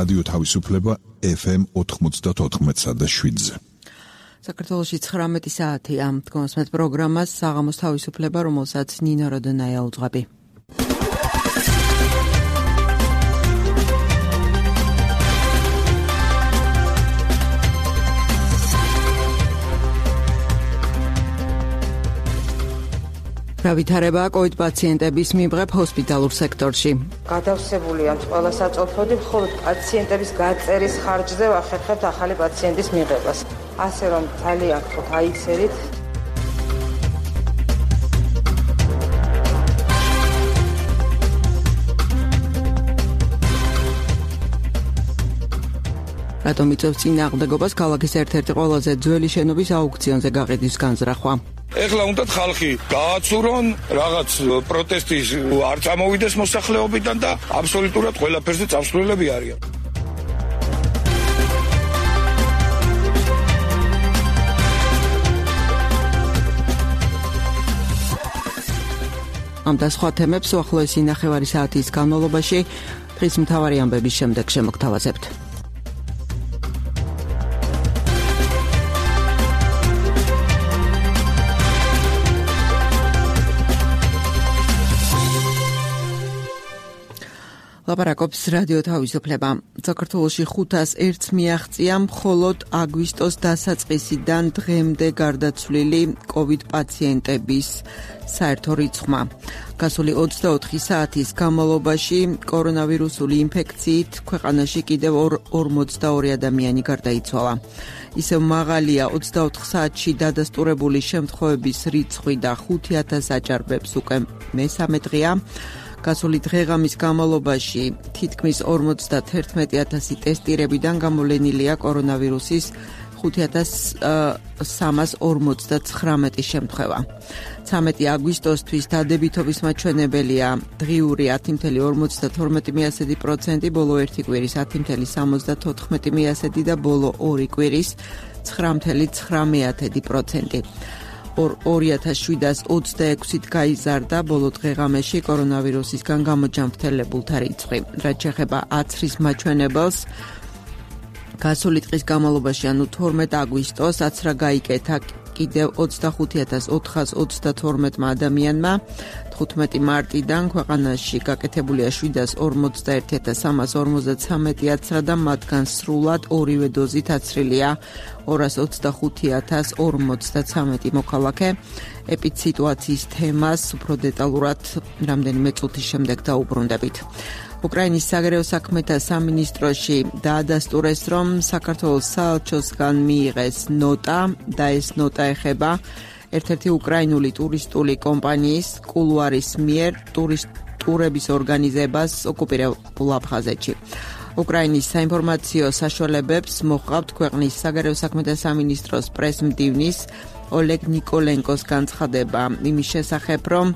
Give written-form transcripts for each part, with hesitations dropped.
რადიო თავისუფლება FM 94.7-ზე. საქართველოში 19 საათია. დგომასმეთ პროგრამას საღამოს თავისუფლება, რომელსაც ნინო როდონაია უძღვები. რა ვითარებაა COVID პაციენტების მიღებ ჰოსპიტალურ სექტორში. გადავსებულია ყველა საწოლფოდი, მხოლოდ პაციენტების გაწერის ხარჯზე ვახერხებთ ახალი პაციენტის მიღებას. ასე რომ ძალიან გთხოვთ აიქცევით. რატომ იწევს წინააღმდეგობას ქალაქის ერთ-ერთი ყველაზე ძველი შენობის აუქციონზე გაყიდვის განზრახვა? ეხლა უნდა ხალხი გააცურონ, რაღაც პროტესტის არ წამოვიდეს მოსახლეობიდან და აბსოლუტურად ყველაფერზე წამსვლელები არიან. ამ და სხვა თემებს უახლოესი ნახევარი საათის განმავლობაში დღის მთავარი ამბების შემდეგ შემოგთავაზებთ. ლაპარაკობს რადიო თავისუფლება. საქართველოში 501-ს მიაღწია მხოლოდ აგვისტოს დასაწყისიდან დღემდე გარდაცვლილი COVID პაციენტების საერთო რიცხვმა. გასული 24 საათის განმავლობაში კორონავირუსული ინფექციით ქვეყანაში კიდევ 42 ადამიანი გარდაიცვალა. ისევ მაღალია 24 საათში დადასტურებული შემთხვევების რიცხვი და 5000 აჭარბებს უკვე მესამე დღეა. გასული დღეღამის განმავლობაში თითქმის 51000 ტესტირებიდან გამოვლენილია კორონავირუსის 5359 შემთხვევა. 13 აგვისტოსთვის დადებითობის მაჩვენებელია დღიური 10.52%, ბოლო ერთი კვირის 10.74% და ბოლო ორი კვირის 9.9%. 2726-ით გაიზარდა ბოლო დღეღამეში კორონავირუსისგან გამოჯანმრთელებულთა რიცხვი. რაც შეეხება აცრის მაჩვენებელს, გასული დღის განმავლობაში, ანუ 12 აგვისტოს, აცრა გაიკეთა კიდევ 25432 ადამიანმა. 15 მარტიდან ქვეყანაში გაკეთებულია 741353 აცრა და მათგან სრულად ორივე დოზით აცრილია 225053 მოქალაქე. ეპიდსიტუაციის თემას უფრო დეტალურად რამდენიმე წუთის შემდეგ დაუბრუნდებით. უკრაინის საგარეო საქმეთა სამინისტროში დაადასტურეს, რომ საქართველოს საელჩოსგან მიიღეს ნოტა და ეს ნოტა ეხება ერთ-ერთი უკრაინული ტურისტული კომპანიის კულუარის მიერ ტურების ორგანიზებას ოკუპირებულ აფხაზეთში. უკრაინის საინფორმაციო საშუალებებს მოჰყავთ ქვეყნის საგარეო საქმეთა სამინისტროს პრესმდივნის ოლეგ ნიკოლენკოს განცხადება იმის შესახებ, რომ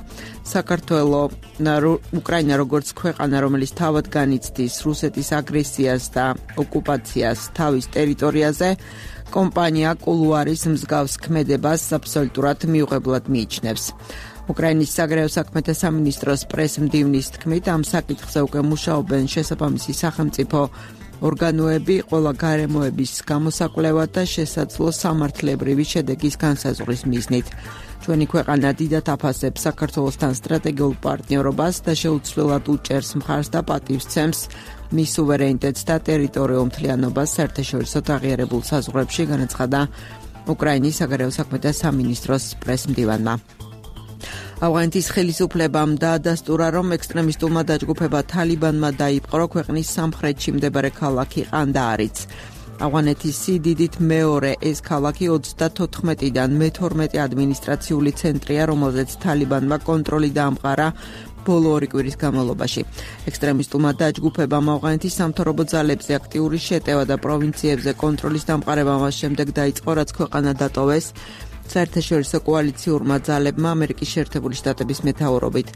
უკრაინა როგორც ქვეყანა, რომელიც თავად განიცდის რუსეთის აგრესიას და ოკუპაციას თავის ტერიტორიაზე, კომპანია კულუარის მსგავს ქმედებას აბსოლუტურად მიუღებლად მიიჩნევს. უკრაინის საგარეო საქმეთა სამინისტროს პრესმდივნის თქმით, ამ საკითხზე უკვე მუშაობენ შესაბამისი სახელმწიფო ორგანოები, ყველა გარემოების გამოსაკვლევად და შესაძლო სამართლებრივი შედეგის განსაზღვრის მიზნით. ჩვენი ქვეყანა დიდად აფასებს საქართველოსთან სტრატეგიულ პარტნიორობას და შეუცვლელად უჭერს მხარს და პატივსცემს მის სუვერენიტეტს და ტერიტორიულ მთლიანობას საერთაშორისო აღიარებულ საზღვრებში, განაცხადა უკრაინის საგარეო საქმეთა სამინისტროს პრესმდივანმა. ავღანეთის ხელისუფლებამ დაადასტურა, რომ ექსტრემისტულმა დაჯგუფება თალიბანმა დაიპყრო ქვეყნის სამხრეთში მდებარე ქალაქი ყანდაარიც. ავღანეთის სიდიდით მეორე ეს ქალაქი 34-დან მე-12 ადმინისტრაციული ცენტრია, რომელზეც თალიბანმა კონტროლი დაამყარა ბოლო ორი კვირის განმავლობაში. ექსტრემისტულმა დაჯგუფებამ ავღანეთის სამთავრობო ძალებზე აქტიური შეტევა და პროვინციებზე კონტროლის დამყარება მას შემდეგ დაიწყო, რაც ქვეყანა დატოვეს საერთაშორისო კოალიციურმა ძალებმა ამერიკის შეერთებული შტატების მეთაურობით.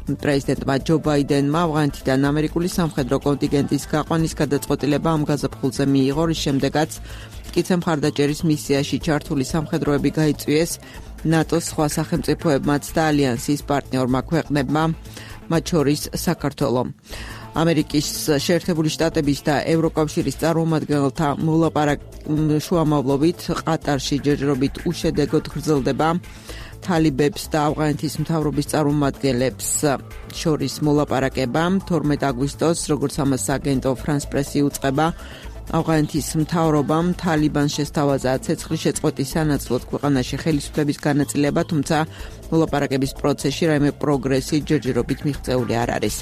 პრეზიდენტმა ჯო ბაიდენმა ავღანეთიდან ამერიკული სამხედრო კონტინგენტის გაყვანის გადაწყვეტილება ამ გაზაფხულზე მიიღო, რის შემდეგაც მტკიცე მხარდაჭერის მისიაში ჩართული სამხედროები გაიწვიეს ნატოს სხვა სახელმწიფოებმაც და ალიანსის პარტნიორმა ქვეყნებმა, მათ შორის საქართველო. ამერიკის შეერთებული შტატების და ევროკავშირის წარმომადგენელთა შუამავლობით ყატარში ჯერჯერობით უშედეგოდ გრძელდება თალიბებს და ავღანეთის მთავრობის წარმომადგენლებს შორის მოლაპარაკება 12 აგვისტოს, როგორც ამას აგენტო France Press-ი უწყება, ავღანეთის მთავრობამ თალიბანს შესთავაზა ცეცხლის შეწყვეტის სანაცვლოდ ქვეყანაში ხელისუფლების განაწილება, თუმცა მოლაპარაკების პროცესში რაიმე პროგრესი ჯერჯერობით მიღწეული არ არის.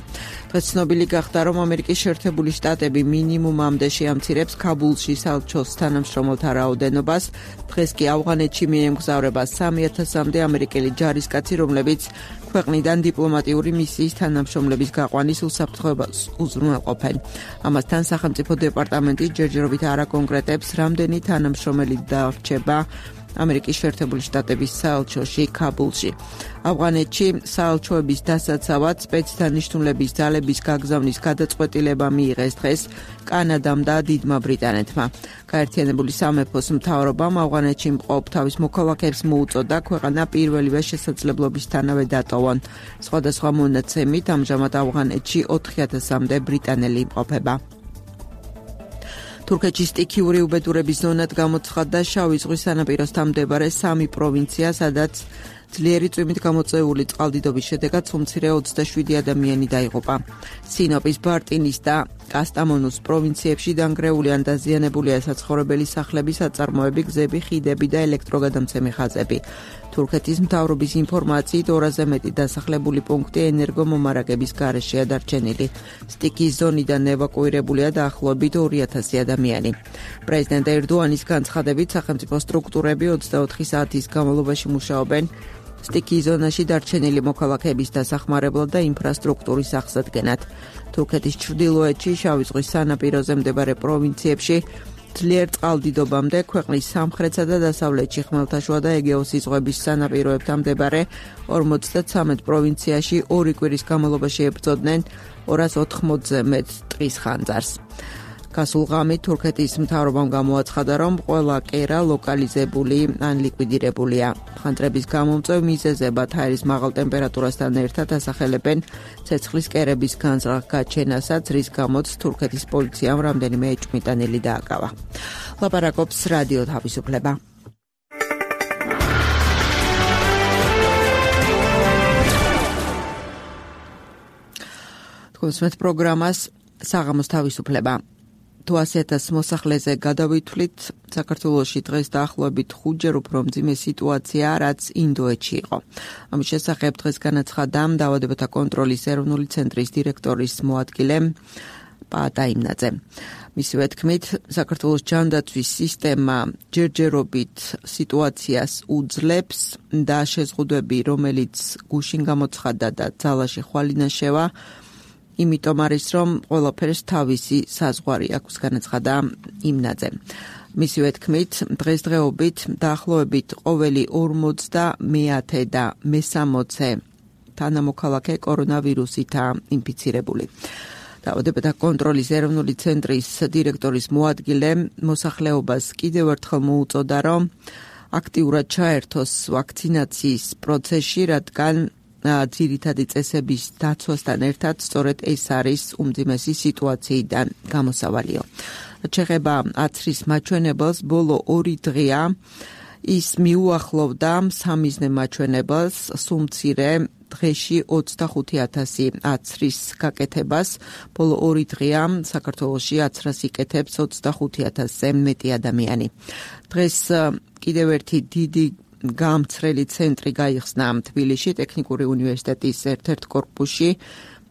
დღეს ცნობილი გახდა, რომ ამერიკის შეერთებული შტატები მინიმუმამდე შეამცირებს ქაბულში საელჩოს თანამშრომელთა რაოდენობას. დღეს კი ავღანეთში მიემგზავრება 3000-მდე ამერიკელი ჯარისკაცი, რომლებიც ქვეყნიდან დიპლომატიური მისიის თანამშრომლების გაყვანის უსაფრთხოებას უზრუნველყოფენ. ამასთან სახელმწიფო დეპარტამენტი ჯერჯერობით არ აკონკრეტებს, რამდენი თანამშრომელი დარჩება ამერიკის შეერთებული შტატების საელჩოში ქაბულში. ავღანეთში საელჩოების დასაცავად სპეცდანიშნულების ძალების გაგზავნის გადაწყვეტილება მიიღეს დღეს კანადამ და დიდმა ბრიტანეთმა. გაერთიანებული სამეფოს მთავრობამ ავღანეთში მყოფ თავის მოქალაქეებს მოუწოდა ქვეყანა პირველივე შესაძლებლობისთანავე დატოვონ. სხვადასხვა მონაცემით ამჟამად ავღანეთში 4000-მდე ბრიტანელი იმყოფება. თურქეთში სტიქიური უბედურების ზონად გამოცხადდა შავი ზღვის სანაპიროსთან მდებარე 3 პროვინცია, სადაც ძლიერი წვიმით გამოწვეული წყალდიდობის შედეგად უმცირე 27 ადამიანი დაიღუპა. სინოპის, ბარტინის და კასტამონუს პროვინციებში დანგრეული ან დაზიანებულია საცხოვრებელი სახლები, საწარმოები, გზები, ხიდები და ელექტროგადამცემი ხაზები. თურქეთის მთავრობის ინფორმაციით 200-ზე მეტი დასახლებული პუნქტი ენერგომომარაგების გარეშეა დარჩენილი. სტიქის ზონიდან ევაკუირებულია დაახლოებით 2000 ადამიანი. პრეზიდენტ ერდოანის განცხადებით სახელმწიფო სტრუქტურები 24 საათის განმავლობაში მუშაობენ სტიქის ზონაში დარჩენილი მოქალაქეების დასახმარებლად და ინფრასტრუქტურის აღსადგენად. თურქეთის ჩრდილოეთში, შავი ზღვის სანაპიროზე მდებარე პროვინციებში ძლიერ წყალდიდობამდე, ქვეყნის სამხრეთსა და დასავლეთში, ხმელთაშუა და ეგეოსის ზღვების სანაპიროებთან მდებარე 53 პროვინციაში 2 კვირის განმავლობაში ებრძოდნენ 280-ზე მეტ ტყის ხანძარს. გასულ ღამით თურქეთის მთავრობამ გამოაცხადა, რომ ყველა კერა ლოკალიზებული ან ლიკვიდირებულია. ხანძრების გამომწვევ მიზეზებად ჰაერის მაღალ ტემპერატურასთან ერთად ასახელებენ ცეცხლის კერების განზრახ-გაჩენასაც, რის გამოც თურქეთის პოლიციამ რამდენიმე ეჭვმიტანილი დააკავა. ლაპარაკობს რადიო თავისუფლება. თქვენს პროგრამას საღამოს თავისუფლება. 200,000 მოსახლეზე გადავითვლით, საქართველოში დღეს დაახლოებით 5-ჯერ უფრო მძიმე სიტუაცია, რაც ინდოეთში იყო. ამის შესახებ დღეს განაცხადა დაავადებათა კონტროლის ეროვნული ცენტრის დირექტორის მოადგილე პაატა იმნაძე. მისივე თქმით, საქართველოს ჯანდაცვის სისტემა ჯერჯერობით სიტუაციას უძლებს და შეზღუდვები, რომელიც გუშინ გამოცხადდა და ძალაში ხვალინაშევა, იმიტომ არის, რომ ყველაფერს თავისი საზღვარი აქვს, განაცხადა იმნაძე. მისივე თქმით, დღესდღეობით დაახლოებით ყოველი 50 და 60 თანამოქალაქე კორონავირუსითაა ინფიცირებული. დაავადებათა კონტროლის ეროვნული ცენტრის დირექტორის მოადგილე მოსახლეობას კიდევ ერთხელ მოუწოდა, რომ აქტიურად ჩაერთოს ვაქცინაციის პროცესში, რადგან ძირითადი წესების დაცვასთან ერთად სწორედ ეს არის უმძიმესი სიტუაციიდან გამოსავალიო. შეეხება აცრის მაჩვენებელს, ბოლო 2 დღეა ის მიუახლოვდა სამიზნე მაჩვენებელს, სუმცირე დღეში 25,000 აცრის გაკეთებას. ბოლო 2 დღეა საქართველოში აცრას იკეთებს 25,000-ზე მეტი ადამიანი. დღეს კიდევ ერთი დიდი გამცრელი ცენტრი გაიხსნა თბილისში, ტექნიკური უნივერსიტეტის ერთ-ერთ კორპუსში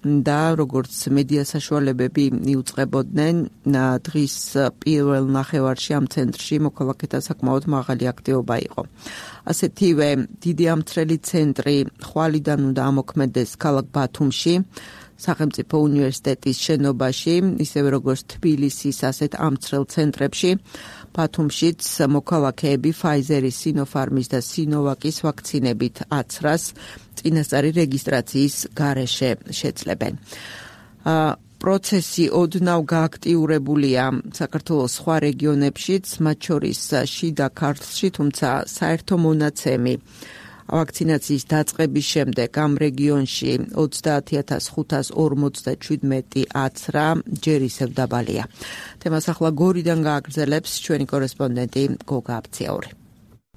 და როგორც მედია საშუალებები მიუძღებოდნენ, დღის პირველ ნახევარში ამ ცენტრში მოქალაქეთა საკმაოდ მაღალი აქტივობა იყო. ასეთივე დიდი ამცრელი ცენტრი ხვალიდან უნდა ამოქმედდეს ქალაქ ბათუმში, სახელმწიფო უნივერსიტეტის შენობაში, ისევე როგორც თბილისის ასეთ ამცრელ ცენტრებში. ბათუმშიც მოქალაქეები Pfizer-ის, Sinopharm-ის და Sinovac-ის ვაქცინებით აცრას წინასწარი რეგისტრაციის გარეშე შეძლებენ. პროცესი ოდნავ გააქტიურებულია საქართველოს სხვა რეგიონებშიც, მათ შორის შიდა ქართლში, თუმცა საერთო მონაცემი ვაქცინაციის დაწყების შემდეგ ამ რეგიონში 30,547 აცრა ჯერ ისევ დაბალია. თემას ახლა გორიდან გააგრძელებს ჩვენი კორესპონდენტი გოგა აფციაური.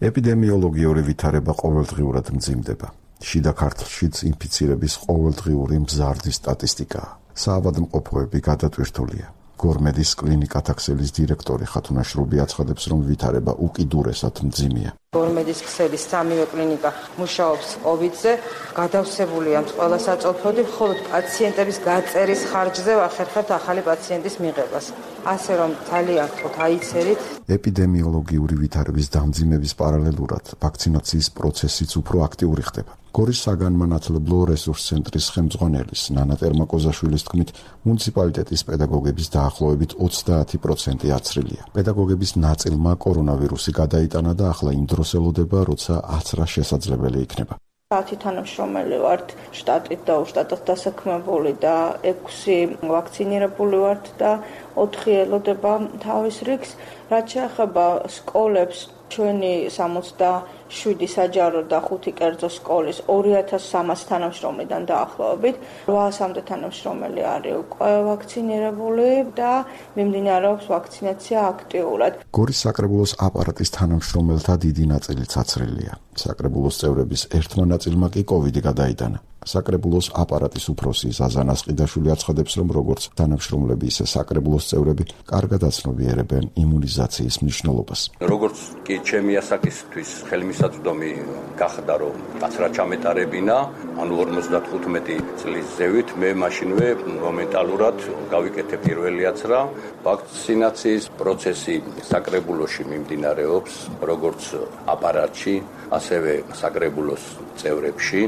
ეპიდემიოლოგიური ვითარება ყოველდღიურად მძიმდება. შიდა ქართლშიც ინფიცირების ყოველდღიური მზარდი სტატისტიკაა. საავადმყოფოები გადატვირთულია. გორმედის კლინიკათა ქსელის დირექტორი ხათუნა შრუბი აცხადებს, რომ ვითარება უკიდურესად მძიმეა. გორმედის ქსელის 3-ვე კლინიკა მუშაობს COVID-ზე, გადავსებულია ყველა საწოლფოდი, მხოლოდ პაციენტების გაწერის ხარჯზე ვახერხებთ ახალი პაციენტის მიღებას. ასე რომ ძალიან გთხოვთ აიცერით. ეპიდემიოლოგიური ვითარების დამძიმების პარალელურად ვაქცინაციის პროცესიც უფრო აქტიური ხდება. გორის საგანმანათლებლო რესურს ცენტრის ხელმძღვანელის ნანა ტერმაკოზაშვილის თქმით, მუნიციპალიტეტის პედაგოგების დაახლოებით 30% აცრილია. პედაგოგების ნაწილმა კორონავირუსი გადაიტანა და ახლა იმ დროს ელოდება, როცა აცრა შესაძლებელი იქნება. 10 თანამშრომელი ვართ შტატით და უშტატად დასაქმებული და 6 ვაქცინირებული ვართ და 4 ელოდება თავის რიგს. რაც შეეხება სკოლებს, ჩვენი 67 საჯარო და 5 კერძო სკოლის 2300 თანამშრომლიდან დაახლოებით 800-მდე თანამშრომელი არის უკვე ვაქცინირებული და მიმდინარეობს ვაქცინაცია აქტიურად. გორის საკრებულოს აპარატის თანამშრომელთა დიდი ნაწილიც აცრილია. საკრებულოს წევრების ერთმა ნაწილმა კი COVID-ი გადაიტანა. საკრებულოს აპარატის უფროსი ზაზან ასყიდაშვილი აცხადებს, რომ როგორც თანამშრომლები, ისე საკრებულოს წევრები კარგად აცნობიერებენ იმუნიზაციის მნიშვნელობას. როგორც კი ჩემი ასაკისთვის ხელმისაწვდომი გახდა, რომ აცრა ჩამეტარებინა, ანუ 55 წლის ზევით, მე მაშინვე მომენტალურად გავიკეთე პირველი აცრა. ვაქცინაციის პროცესი საკრებულოში მიმდინარეობს, როგორც აპარატში, ასევე საკრებულოს წევრებში.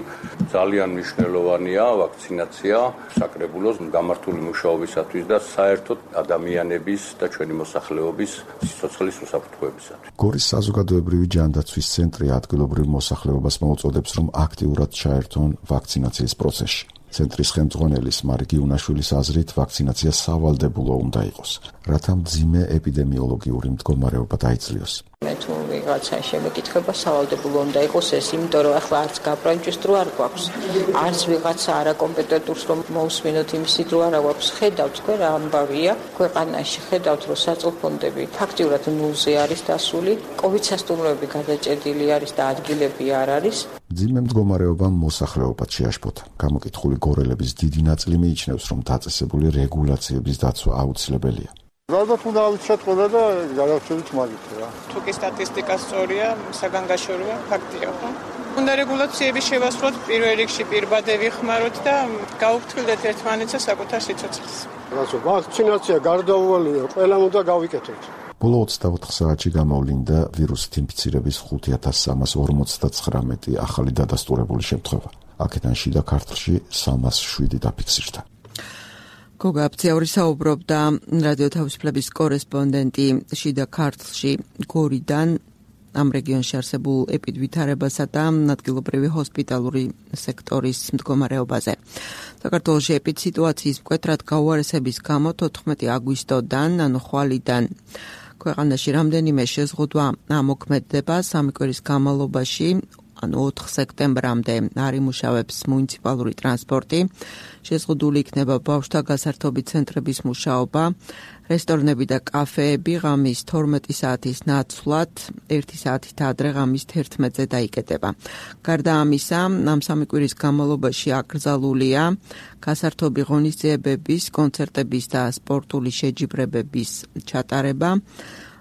ძალიან მნიშვნელოვანია ვაქცინაცია საკრებულოს გამართული მუშაობისათვის და საერთოდ ადამიანების და ჩვენი მოსახლეობის სიცოცხლის უსაფრთხოებისათვის. გორის საზოგადოებრივი ჯანდაცვის ცენტრი ადგილობრივ მოსახლეობას მოუწოდებს, რომ აქტიურად ჩაერთონ ვაქცინაციის პროცესში. ცენტრის ხელმძღვანელის მარგი უნაშვილის აზრით, ვაქცინაცია სავალდებულო უნდა იყოს, რათა მძიმე ეპიდემიოლოგიური მდგომარეობა დაიძლიოს. მე თუ ვიღაცა შემეკითხება სავალდებულო უნდა იყოს ეს, იმიტომ რომ ახლა არც გაპრანჭის დრო არ გვაქვს, არც ვიღაცა არაკომპეტენტურს რომ მოусმინოთ იმისი დრო არ გვაქვს. ხედავთ თქვენ რა ამბავია ქვეყანაში, ხედავთ რომ საწოლფონდები ფაქტიურად ნულზე არის დასული, COVID სასტუმროები გადაჭედილი არის და ადგილები არ არის. მძიმე მდგომარეობამ მოსახლეობაც შეაშფოთა. გამოკითხული გორელების დიდი ნაწილი მიიჩნევს, რომ დაწესებული რეგულაციების დაცვა აუცილებელია. ალბათ უნდა ავიცეთ ყველა და გადავწევით მაგით რა. თუ კი სტატისტიკა სწორია, საგანგაშოროა, ფაქტია, ხო? უნდა რეგულაციები შევასრულოთ პირველ რიგში პირბადე ვიხმაროთ და გავუფრთხილდეთ ერთმანეთს საკუთარ სიცოცხლეს. რასო, ვაქცინაცია გარდაუვალია, ყველამ უნდა გავიკეთოთ. ბოლო 24 საათში გამოვლინდა ვირუსით ინფიცირების 5349 ახალი დადასტურებული შემთხვევა. აქედან შიდა ქართლში 307 დაფიქსირდა. გოგა აფციაური საუბრობდა რადიო თავისუფლების კორესპონდენტი შიდა ქართლში გორიდან ამ რეგიონში არსებულ ეპიდვითარებასა და ადგილობრივი ჰოსპიტალური სექტორის მდგომარეობაზე. საქართველოში ეპიდსიტუაციის მკვეთრად გაუარესების გამო 14 აგვისტოდან, ანუ ხვალიდან ქვეყანაში რამდენიმე შეზღუდვა ამოქმედდება. 3 კვირის განმავლობაში, ანუ 4 სექტემბრამდე არ იმუშავებს მუნიციპალური ტრანსპორტი. შეზღუდული იქნება ბავშვთა გასართობი ცენტრების მუშაობა, რესტორნები და კაფეები ღამის 12 საათის ნაცვლად 1 საათით ადრე ღამის 11-ზე დაიკეტება. გარდა ამისა, ამ 3 კვირის განმავლობაში აკრძალულია გასართობი ღონისძიებების, კონცერტების და სპორტული შეჯიბრებების ჩატარება.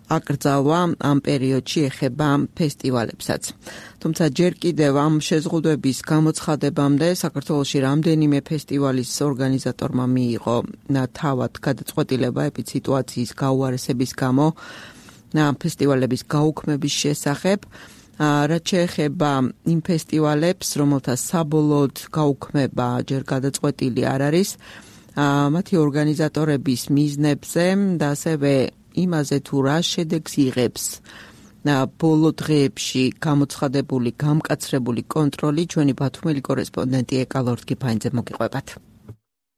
აკრძალვა ამ პერიოდში ეხება ფესტივალებსაც. თუმცა ჯერ კიდევ ამ შეზღუდვების გამოცხადებამდე საქართველოში რამდენიმე ფესტივალის ორგანიზატორმა მიიღო თავად გადაწყვეტილება ეპიდსიტუაციის გაუარესების გამო ფესტივალების გაუქმების შესახებ. რაც შეეხება იმ ფესტივალებს, რომელთა საბოლოოდ გაუქმება ჯერ გადაწყვეტილი არ არის, მათი ორგანიზატორების მიზნებზე და ასევე იმაზე თუ რა შედეგს იღებს ბოლო დღეებში გამოცხადებული გამკაცრებული კონტროლი ჩვენი ბათუმელი კორესპონდენტი ეკალორდ გიფაინძე მოგიყვებათ.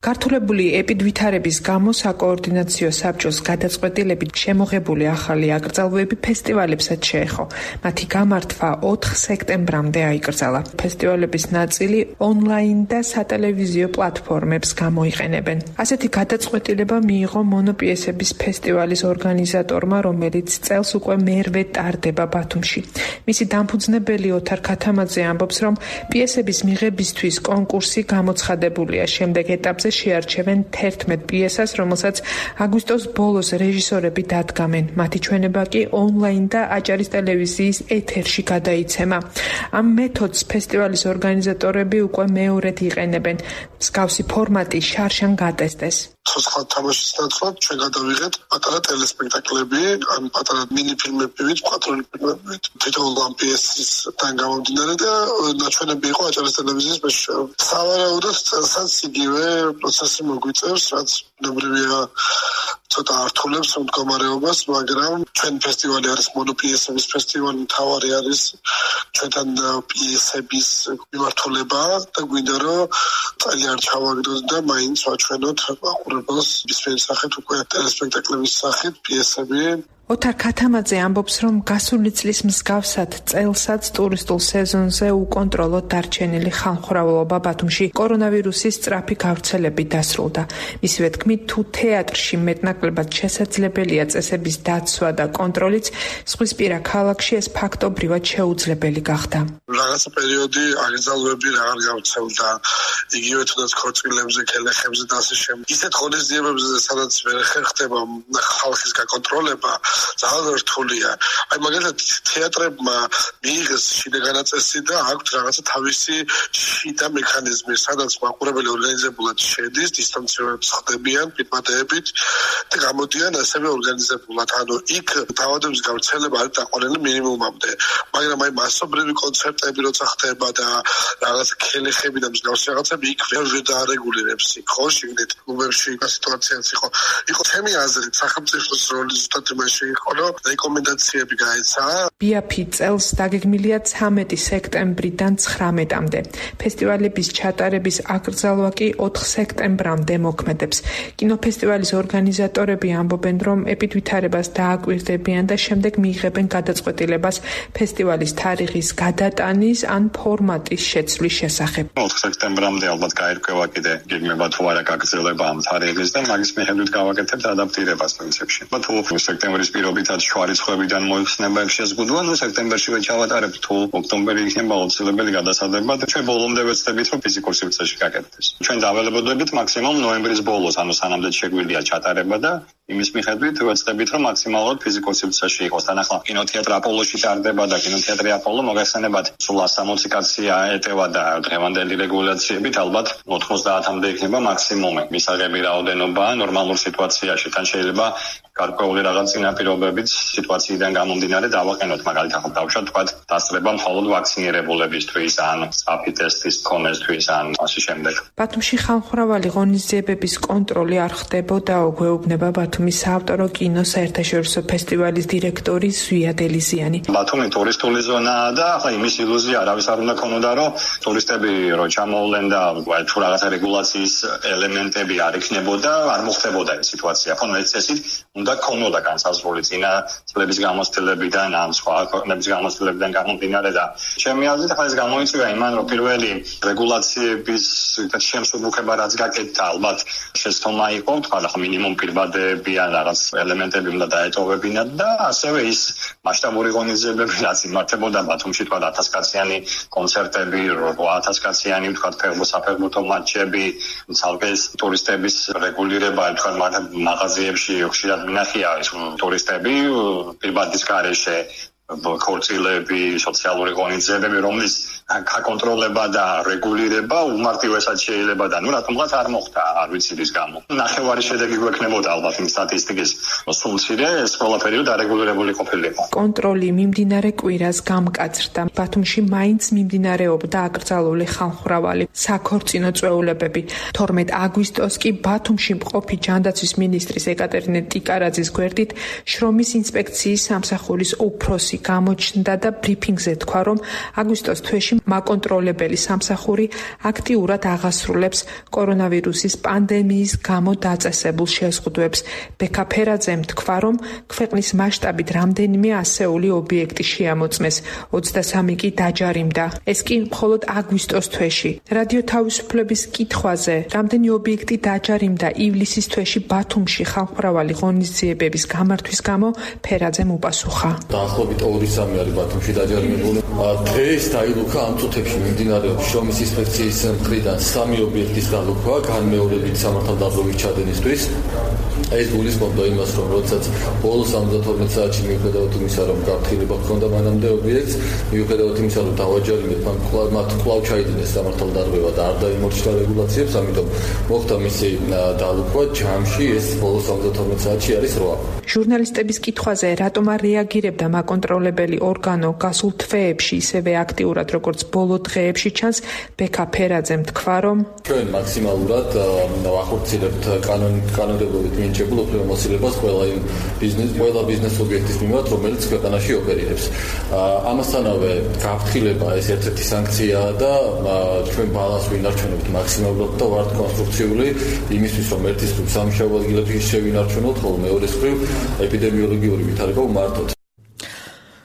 ქართულებული ეპიდვითარების გამო საკოორდინაციო საბჭოს გადაწყვეტილებით შემოღებული ახალი აკრძალვები ფესტივალებსაც შეეხო. მათი გამართვა 4 სექტემბრამდე აიკრძალა. ფესტივალების ნაწილი ონლაინ და სატელევიზიო პლატფორმებს გამოიყენებენ. ასეთი გადაწყვეტილება მიიღო მონოპიესების ფესტივალის ორგანიზატორმა, რომელიც წელს უკვე მერვე ტარდება ბათუმში. მისი დამფუძნებელი ოთარ ქათამაძე ამბობს, რომ პიესების მიღებისთვის კონკურსი გამოცხადებულია. შემდეგ ეტაპზე შეარჩევენ 11 პიესას, რომელსაც აგვისტოს ბოლოს რეჟისორები დადგამენ. მათი ჩვენება კი ონლაინ და აჭარის ტელევიზიის ეთერში გადაიცემა. ამ მეთოდს ფესტივალის ორგანიზატორები უკვე მეორედ იყენებენ. მსგავსი ფორმატი შარშან გატესტეს. ცოცხლად თამაშის ნაცვლად ჩვენ გადავიღეთ პატარა ტელესპექტაკლები, ან პატარა მინიფილმებივით, კვადრული ფილმებივით. თითოეულ ამ პიესისგან გამომდინარე და ნაჩვენები იყო აჭარის ტელევიზიის მეშვეობით. სავარაუდოდ წელსაც იგივე პროცესი მოგვიწევს, რაც ბუნებრივია ცოტა ართულებს მდგომარეობას, მაგრამ ჩვენ ფესტივალი არის მონოპიესების ფესტივალი, მთავარი არის ჩვენთან პიესების მიმართულება და გვინდა რომ წელი არ ჩავაგდოთ და მაინც ვაჩვენოთ მაყურებელს ისეთი სახით უკვე ტელესპექტაკლების სახით პიესები. ოთარ ქათამაძე ამბობს, რომ გასული წლის მსგავსად წელსაც ტურისტულ სეზონზე უკონტროლოდ დარჩენილი ხალხმრავალობა ბათუმში კორონავირუსის სწრაფი გავრცელებით დასრულდა. მისივე თქმით, თუ თეატრში მეტნაკლებად შესაძლებელია წესების დაცვა და კონტროლიც, ზღვისპირა ქალაქში ეს ფაქტობრივად შეუძლებელი გახდა. რაღაცა პერიოდი აგრძალვები აღარ გავრცელდა, იგივე თუნდაც ქორწილებზე, ქელეხებზე და ასე შემდეგ. ისეთ ღონისძიებებზე, სადაც ვერ ხერხდება ხალხის გაკონტროლება, ძალიან რთულია. აი მაგალითად თეატრებმა მიიღეს შიდა განაწესი და აქვთ რაღაცა თავისი შიდა მექანიზმი, სადაც მაყურებელი ორგანიზებულად შედის, დისტანცირებად ხდებიან პირბადეებით და გამოდიან ასევე ორგანიზებულად. ანუ იქ დაავადების გავრცელება არის დაყვანილი მინიმუმამდე. მაგრამ აი მასობრივი კონცერტები როცა ხდება და რაღაცა ქელეხები და მსგავსი რაღაცები იქ ვერ დაარეგულირებს იქ ხო შიგნით კლუბებში სიტუაციაც იყო. იყო ჩემი აზრით სახელმწიფოს როლი ზუსტად იმაში იყო, რომ რეკომენდაციები გაეცა. ბიაფი წელს დაგეგმილია 13 სექტემბრიდან 19-მდე. ფესტივალების ჩატარების აკრძალვა კი 4 სექტემბრამდე მოქმედებს. კინოფესტივალის ორგანიზატორები ამბობენ, რომ ეპიდვითარებას დააკვირდებიან და შემდეგ მიიღებენ გადაწყვეტილებას ფესტივალის თარიღის გადატანის ან ფორმატის შეცვლის შესახებ. 4 სექტემბრამდე ალბათ გაირკვევა კიდე გეგმება თუ არა გაგრძელება ამ თარიღის და მაგის მიხედვით გავაკეთებთ ადაპტირებას პრინციპში. თუ სექტემბრის პირობითად შუარიცხვებიდან მოიხსნება შეზღუდვა, ნუ სექტემბერშივე ჩავატარებთ, თუ ოქტომბერი იქნება აუცილებელი გადასადება და ჩვენ ბოლომდე ვეცდებით, რომ ფიზიკურ სივრცეში გაკეთდეს. ჩვენ დაველებოდებით მაქსიმუმ ნოემბრის ბოლოს, ანუ სანამდე შეგვიძლია ჩატარება და იმის მიხედვით ვეცდებით, რომ მაქსიმალურად ფიზიკურ სივრცეში იყოს. თან ახლა კინოთეატრ აპოლოში ტარდება და კინოთეატრი აპოლო მოგახსენებათ, სულ 160 კაცია ეტევა და დღევანდელი რეგულაციებით ალბათ 90-მდე იქნება მაქსიმუმი. მისაღები რაოდენობა ნორმალურ სიტუაციაში თან შეიძლება გარკვეული რაღაც წინაპირობებით სიტუაციიდან გამომდინარე დავაყენოთ, მაგალითად დავუშვათ თქვა დასწრება მხოლოდ ვაქცინირებულებისთვის ან სწრაფი ტესტის მქონესთვის ან ასე შემდეგ. ბათუმში ხალხმრავალი ღონისძიებების კონტროლი არ ხდებოდაო, გვეუბნება ბათუმის საავტორო კინო საერთაშორისო ფესტივალის დირექტორი ზვია დელიზიანი. ბათუმი ტურისტული ზონაა და ახლა იმის ილუზია არავის არ უნდა ქონოდა, რომ ტურისტები რო ჩამოვლენ და თუ რაღაცა რეგულაციის ელემენტები არ იქნებოდა, არ მოხდებოდა ეს სიტუაცია. ხო, წესით უნდა ქონოდა განსაზღვრული წინა წლების გამოცდილებიდან ან სხვა ქვეყნების გამოცდილებიდან გამომდინარე და ჩემი აზრით ახლა ეს გამოიწვია იმან, რომ პირველი რეგულაციების შემსუბუქება რაც გაკეთდა, ალბათ შეცდომა იყო, თქვა ახლა მინიმუმ პირბადეები ან რაღაც ელემენტები უნდა დაეტოვებინათ და ასევე ის მასშტაბური ღონისძიებები რაც იმართებოდა ბათუმში, თქვა 1000 კაციანი კონცერტები, 8000 კაციანი, თქვა საფეხბურთო მატჩები, ცალკე ტურისტების რეგულირება, თქვა მაღაზიებში ხშირად მინახია ის ტურისტები პირბადის გარეშე ქორწილები, სოციალური ღონისძიებები, რომლის გაკონტროლება და რეგულირება უმარტივესად შეიძლება და ნუ რატომღაც არ მოხდა, არ ვიცი რის გამო. ნახევარი შედეგი გვექნებოდა ალბათ იმ სტატისტიკის. სულ მცირე ეს ყველაფერი დარეგულირებული ყოფილიყო. კონტროლი მიმდინარე კვირას გამკაცრდა. ბათუმში მაინც მიმდინარეობდა აკრძალული ხალხმრავალი საქორწინო წვეულებები. 12 აგვისტოს კი ბათუმში მყოფი ჯანდაცვის მინისტრის ეკატერინე ტიკარაძის გვერდით შრომის ინსპექციის სამსახურის უფროსი გამოჩნდა და ბრიფინგზე თქვა, რომ აგვისტოს თვეში მაკონტროლებელი სამსახური აქტიურად აღასრულებს კორონავირუსის პანდემიის გამო დაწესებულ შეზღუდვებს. ბექა ფერაძემ თქვა, რომ ქვეყნის მასშტაბით რამდენიმე ასეული ობიექტი შეამოწმეს, 23 კი დაჯარიმდა. ეს კი მხოლოდ აგვისტოს თვეში. რადიო თავისუფლების კითხვაზე, რამდენი ობიექტი დაჯარიმდა ივლისის თვეში ბათუმში ხალხმრავალი ღონისძიებების გამართვის გამო, ფერაძემ უპასუხა. დაახლოებით 2-3 არის ბათუმში დაჯარიმებული. დღეს დაილუქა ამ წუთებში მიმდინარეობს შრომის ინსპექციის მხრიდან 3 ობიექტის დალუქვა, განმეორებით სამართალდაბლობის ჩადენისთვის. ეს გულისხმობდა იმას, რომ როდესაც ბოლო 72 საათში მიუხედავად იმისა, რომ გაფრთხილება ჰქონდა მანამდე ობიექტს, მიუხედავად იმისა, რომ დავაჯარიმეთ, მათ კვლავ ჩაიდინეს სამართალდარღვევა და არ დაიმორჩილა რეგულაციებს, ამიტომ მოხდა მისი დალუქვა. ჯამში ეს ბოლო 72 საათში არის 8. ჟურნალისტების კითხვაზე, რატომ არ რეაგირებდა მაკონტროლებელი ორგანო გასულ თვეებში ისევე აქტიურად, როგორც ბოლო დღეებში ჩანს, ბექა ფერაძემ თქვა, რომ ჩვენ მაქსიმალურად ვახორციელებთ კანონმდებლობით მინიჭებულ უფლებამოსილებას ყველა ბიზნეს ობიექტის მიმართ, რომელიც ქვეყანაში ოპერირებს. ამასთანავე გაფრთხილება ეს ერთ-ერთი სანქციაა და ჩვენ ბალანს ვინარჩუნებთ მაქსიმალურად და ვართ კონსტრუქციული იმისთვის, რომ ერთის მხრივ სამშაბლო ადგილებში შევინარჩუნოთ, ხოლო მეორეს მხრივ ეპიდემიოლოგიური ვითარება ვმართოთ.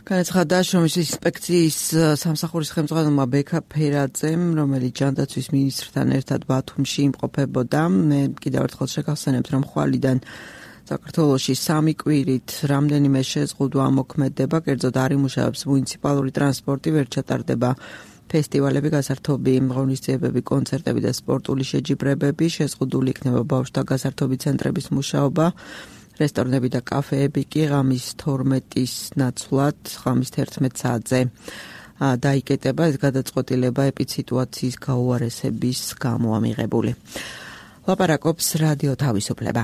განაცხადა შრომის ინსპექციის სამსახურის ხელმძღვანელმა ბექა ფერაძემ, რომელიც ჯანდაცვის მინისტრთან ერთად ბათუმში იმყოფებოდა. მე კიდევ ერთხელ შეგახსენებთ, რომ ხვალიდან საქართველოში 3 კვირით რამდენიმე შეზღუდვა მოქმედება, კერძოდ არ იმუშავებს მუნიციპალური ტრანსპორტი, ვერ ჩატარდება ფესტივალები, გასართობი ღონისძიებები, კონცერტები და სპორტული შეჯიბრებები, შეზღუდული იქნება ბავშვთა გასართობი ცენტრების მუშაობა. რესტორნები და კაფეები კი ღამის 12-ის ნაცვლად, ღამის 11 საათზე დაიკეტება. ეს გადაწყვეტილება ეპიდსიტუაციის გაუარესების გამო ამიღებული. ლაპარაკობს რადიო თავისუფლება.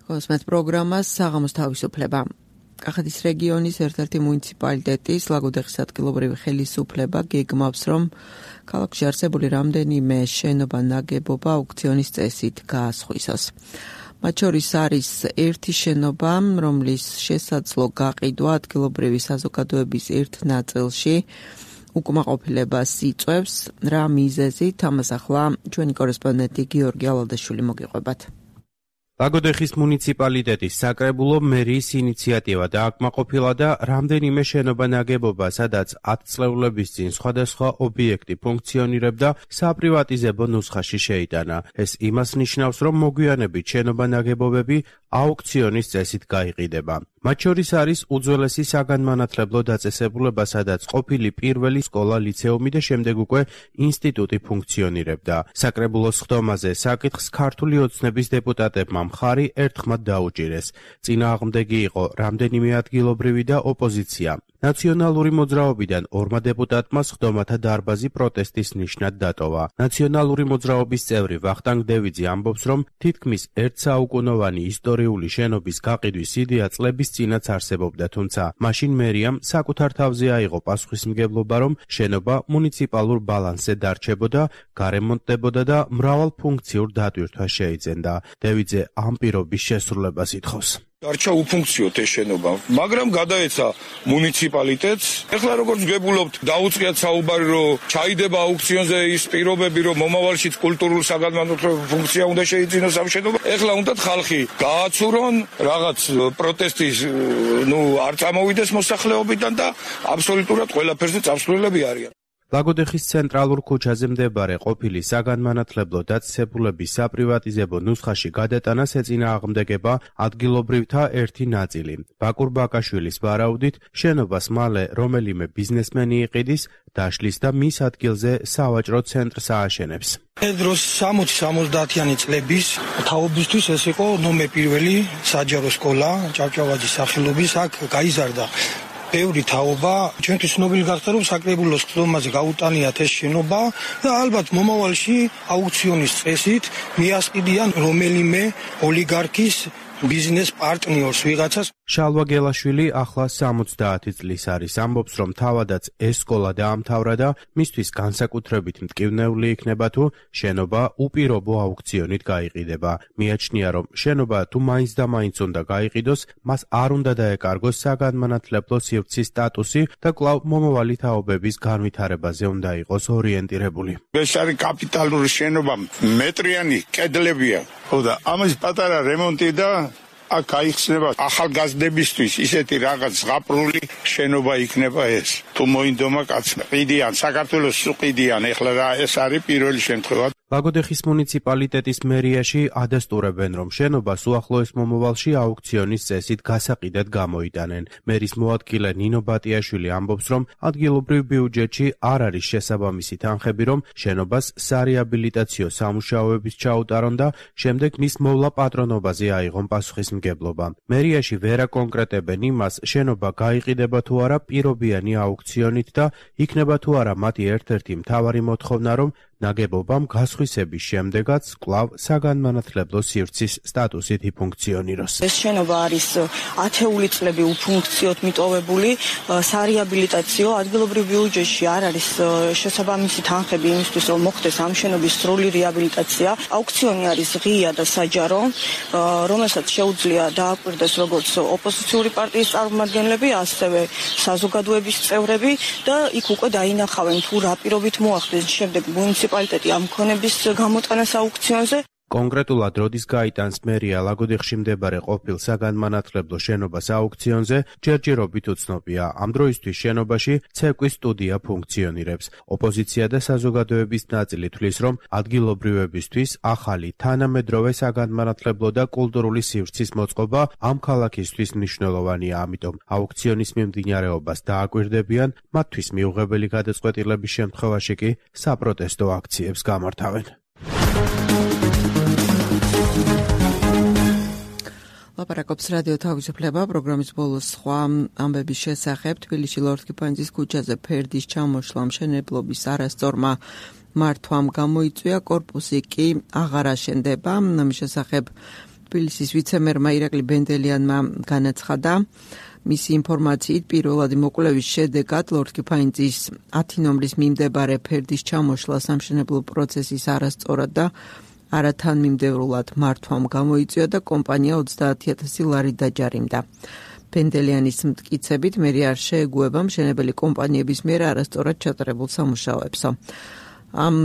კოსმეთ პროგრამას საღამოს თავისუფლება. კახეთის რეგიონის ერთ-ერთი მუნიციპალიტეტის ლაგოდეხის ადგილობრივი ხელისუფლება გეგმავს, რომ ქალაქში არსებული რამდენიმე შენობა ნაგებობა აუქციონის წესით გაასხვისოს. მათ შორის არის ერთი შენობა, რომლის შესაძლო გაყიდვა ადგილობრივი საზოგადოების ერთ ნაწილში უკმაყოფილებას იწვევს. რა მიზეზით? ამას ახლა ჩვენი კორესპონდენტი გიორგი ალადაშვილი მოგიყვებათ. ლაგოდეხის მუნიციპალიტეტის საკრებულო მერიის ინიციატივა დააკმაყოფილა და რამდენიმე შენობა ნაგებობა, სადაც 10 წლეულების წინ სხვადასხვა ობიექტი ფუნქციონირებდა, საპრივატიზებო ნუსხაში შეიტანა. ეს იმას ნიშნავს, რომ მოგვიანებით შენობა ნაგებობები აუქციონის წესით გაიყიდება. მათ შორის არის უძველესი საგანმანათლებლო დაწესებულება, სადაც ყოფილი პირველი სკოლა, ლიცეუმი და შემდეგ უკვე ინსტიტუტი ფუნქციონირებდა. საკრებულოს ხდომაზე საკითხს ქართული ოცნების დეპუტატებმა მხარი ერთხმად დაუჭირეს. წინააღმდეგი იყო რამდენიმე ადგილობრივი და ოპოზიცია. ნაციონალური მოძრაობიდან 2 დეპუტატმა ხდომათა დარბაზი პროტესტის ნიშნად დატოვა. ნაციონალური მოძრაობის წევრი ვახტანგ დევიძე ამბობს, რომ თითქმის 1 საუკუნოვანი ისტორიული შენობის გაყიდვის იდეა წლების წინაც არსებობდა, თუმცა მაშინ მერიამ საკუთარ თავზე აიღო პასუხისმგებლობა, რომ შენობა მუნიციპალურ ბალანსზე დარჩებოდა, გარემონტდებოდა და მრავალფუნქციურ დატვირთვას შეიძენდა. დევიძე ამ პირობის შესრულებას ითხოვს. დარჩა უფუნქციოდ ეს შენობა, მაგრამ გადაეცა მუნიციპალიტეტს. ეხლა როგორც გებულობთ, დაუწყიათ საუბარი, რომ ჩაიდება აუქციონზე ის პირობები, რომ მომავალშიც კულტურულ საგანმანათლებლო ფუნქცია უნდა შეიძინოს ამ შენობა. ეხლა უნდათ ხალხი გააცურონ, რაღაც პროტესტის, არ წამოვიდეს მოსახლეობიდან და აბსოლუტურად ყველაფერზე წამსვლელები არიან. ლაგოდეხის ცენტრალურ ქუჩაზე მდებარე ყოფილი საგანმანათლებლო დაწესებულების საპრივატიზებო ნუსხაში გადატანას ეწინააღმდეგება ადგილობრივთა ერთი ნაწილი. ბაკურ ბაკაშვილის ვარაუდით, შენობას მალე რომელიმე ბიზნესმენი იყიდის, დაშლის და მის ადგილზე სავაჭრო ცენტრს ააშენებს. ეს დროს 60-70-იანი წლების თაობისთვის ეს იყო ნომერ პირველი საჯარო სკოლა, ჭავჭავაძის სახელობის, აქ გაიზარდა ბევრი თაობა. ჩვენთვის ცნობილი გახდა, რომ საკრებულოს ხდომაზე გაუტანიათ ეს შენობა და ალბათ მომავალში აუქციონის წესით მიასყიდიან რომელიმე ოლიგარქის ბიზნეს პარტნიორს ვიღაცას. შალვა გელაშვილი ახლა 70 წლის არის, ამბობს, რომ თავადაც ეს სკოლა დაამთავრა და მისთვის განსაკუთრებით მტკივნეული იქნება თუ შენობა უპირობო აუქციონით გაიყიდება. მიაჩნია, რომ შენობა თუ მაინც და მაინც უნდა გაიყიდოს, მას არ უნდა დაეკარგოს საგანმანათლებლო სივრცის სტატუსი და კვლავ მომავალი თაობების განვითარებაზე უნდა იყოს ორიენტირებული. ეს არის კაპიტალური შენობა, მეტრიანი კედლებია. ხო და ამის პატარა რემონტი და აქ გაიხსნება ახალგაზრდებისთვის ისეთი რაღაც ზღაპრული შენობა იქნება ეს. თუ მოინდომა კაცმა ყიდიან, საქართველოს ყიდიან, ეხლა რა ეს არის პირველი შემთხვევა. ლაგოდეხის მუნიციპალიტეტის მერიაში ადასტურებენ, რომ შენობას უახლოეს მომავალში აუქციონის წესით გასაყიდად გამოიტანენ. მერის მოადგილე ნინო ბატიაშვილი ამბობს, რომ ადგილობრივ ბიუჯეტში არ არის შესაბამისი თანხები, რომ შენობას სარეაბილიტაციო სამუშაოების ჩაუტარონ და შემდეგ მის მოვლა პატრონობაზე აიღონ პასუხისმგებლობა. მერიაში ვერ აკონკრეტებენ იმას, შენობა გაიყიდება თუ არა პირობიანი აუქციონით და იქნება თუ არა მათი ერთ-ერთი მთავარი მოთხოვნა, რომ ნაგებობამ გასხვისების შემდეგაც კვლავ საგანმანათლებლო სივრცის სტატუსით იფუნქციონიროს. ეს შენობა არის ათეული წლები უფუნქციოდ მიტოვებული, სარეაბილიტაციო ადგილობრივ ბიუჯეტში არ არის შესაბამისი თანხები იმისთვის, რომ მოხდეს ამ შენობის სრული რეაბილიტაცია. აუქციონი არის ღია და საჯარო, რომელსაც შეუძლია დააკვირდეს როგორც ოპოზიციური პარტიის წარმომადგენლები, ასევე საზოგადოების წევრები და იქ უკვე დაინახავენ თუ რა პირობით მოახდეს შემდეგ მუნიციპალიტეტი ამ ქონების გამოტანას აუქციონზე. კონკრეტულად როდის გაიტანს მერია ლაგოდეხში მდებარე ყოფილ საგანმანათლებლო შენობას აუქციონზე, ჯერჯერობით უცნობია. ამ დროისთვის შენობაში ცეკვის სტუდია ფუნქციონირებს. ოპოზიცია და საზოგადოების ნაწილი თვლის, რომ ადგილობრივებისთვის ახალი თანამედროვე საგანმანათლებლო და კულტურული სივრცის მოწყობა ამ ქალაქისთვის მნიშვნელოვანია, ამიტომ აუქციონის მიმდინარეობას დააკვირდებიან, მათთვის მიუღებელი გადაწყვეტილების შემთხვევაში კი საპროტესტო აქციებს გამართავენ. ლაპარაკობს რადიო თავისუფლება პროგრამის ბოლოს სხვა ამბების შესახებ. თბილისში ლორდ-კიპანიძის ქუჩაზე ფერდის ჩამოშლა მშენებლობის არასწორმა მართვამ გამოიწვია, კორპუსი კი აღარ აშენდება. ამის შესახებ თბილისის ვიცემერმა ირაკლი ბენდელიანმა განაცხადა. მისი ინფორმაციით პირველადი მოკვლევის შედეგად ლორდ-კიპანიძის 10 ნომრის მიმდებარე ფერდის ჩამოშლა სამშენებლო პროცესის არასწორად და არათანმიმდევრულად მართვამ გამოიწვია და კომპანია 30,000 ლარი დაჯარიმდა. ბენდელიანის მტკიცებით მერია არ შეეგუება მშენებელი კომპანიების მიერ არასწორად ჩატარებულ სამუშაოებსო. ამ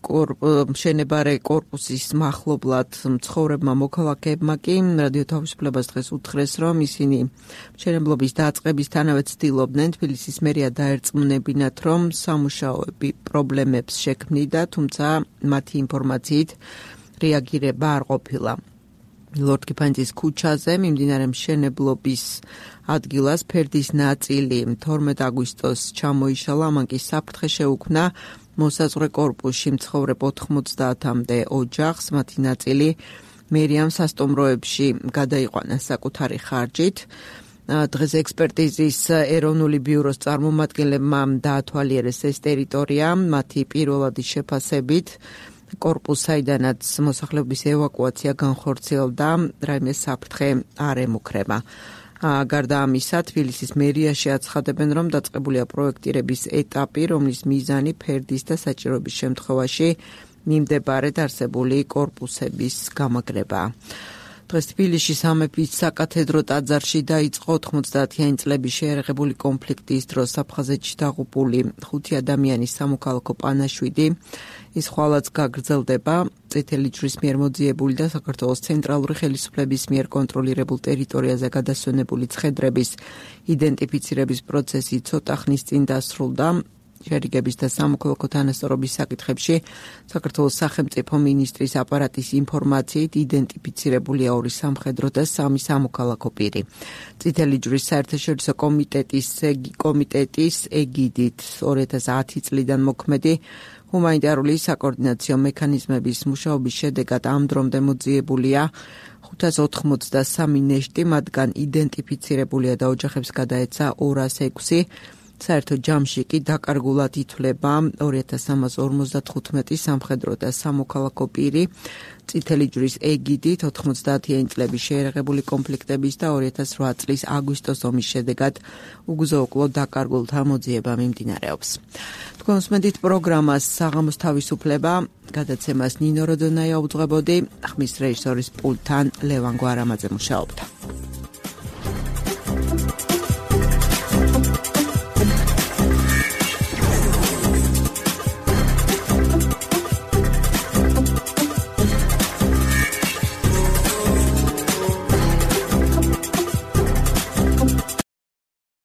მშენებარე კორპუსის მახლობლად მცხოვრებმა მოქალაქეებმა კი რადიო თავისუფლებას დღეს უთხრეს, რომ ისინი მშენებლობის დაწყებისთანავე ცდილობდნენ თბილისის მერია დაერწმუნებინათ, რომ სამუშაოები პრობლემებს შექმნიდა, თუმცა მათი ინფორმაციით რეაგირება არ ყოფილა. ლორდ-კიპანიძის ქუჩაზე მიმდინარე მშენებლობის ადგილას ფერდის ნაწილი 12 აგვისტოს ჩამოიშალა, მან კი საფრთხე შეუქმნა მოსაზღვრე კორპუსში მცხოვრებ 90-მდე ოჯახს, მათი ნაწილი მერიამ სასტუმროებში გადაიყვანა საკუთარი ხარჯით. დღეს ექსპერტიზის ეროვნული ბიუროს წარმომადგენლებმა დაათვალიერეს ეს ტერიტორია, მათი პირველადი შეფასებით კორპუს, საიდანაც მოსახლეობის ევაკუაცია განხორციელდა, რაიმე საფრთხე არ ემუქრება. გარდა ამისა, თბილისის მერიაში აცხადებენ, რომ დაწყებულია პროექტირების ეტაპი, რომლის მიზანი ფერდის და საჭიროების შემთხვევაში მიმდებარე არსებული კორპუსების გამაგრებაა. დღეს თბილისში სამეფის საკათედრო ტაძარში დაიწყო 90-იანი წლების შეიარაღებული კონფლიქტის დროს აფხაზეთში დაღუპული 5 ადამიანის სამოქალაქო პანაშვიდი. ის ხვალაც გაგრძელდება. წითელი ჯვრის მიერ მოძიებული და საქართველოს ცენტრალური ხელისუფლების მიერ კონტროლირებულ ტერიტორიაზე გადასვენებული ცხედრების იდენტიფიცირების პროცესი ცოტა ხნის წინ დასრულდა. შერიგების და სამოქალაქო თანასწორობის საკითხებში საქართველოს სახელმწიფო მინისტრის აპარატის ინფორმაციით იდენტიფიცირებულია 2 სამხედრო და 3 სამოქალაქო პირი. წითელი ჯვრის საერთაშორისო კომიტეტის ეგიდით 2010 წლიდან მოქმედი ჰუმანიტარული საკოორდინაციო მექანიზმების მუშაობის შედეგად ამ დრომდე მოძიებულია 583 ნეშტი, მათგან იდენტიფიცირებულია და ოჯახებს გადაეცა 206. საერთო ჯამში კი დაკარგულად ითვლება 2355 სამხედრო და სამოქალაქო პირი, წითელი ჯვრის ეგიდით 90-იანი წლების შეერაღებული კონფლიქტების და 2008 წლის აგვისტოს ომის შედეგად უგზო-უკლო დაკარგულთა მოძიება მიმდინარეობს. თქვენ უსმენთ პროგრამას საღამოს თავისუფლება, გადაცემას ნინო როდონაია უძღვებოდი, ხმის რეჟისორის პულტთან ლევან გვარამაძე მუშაობდა.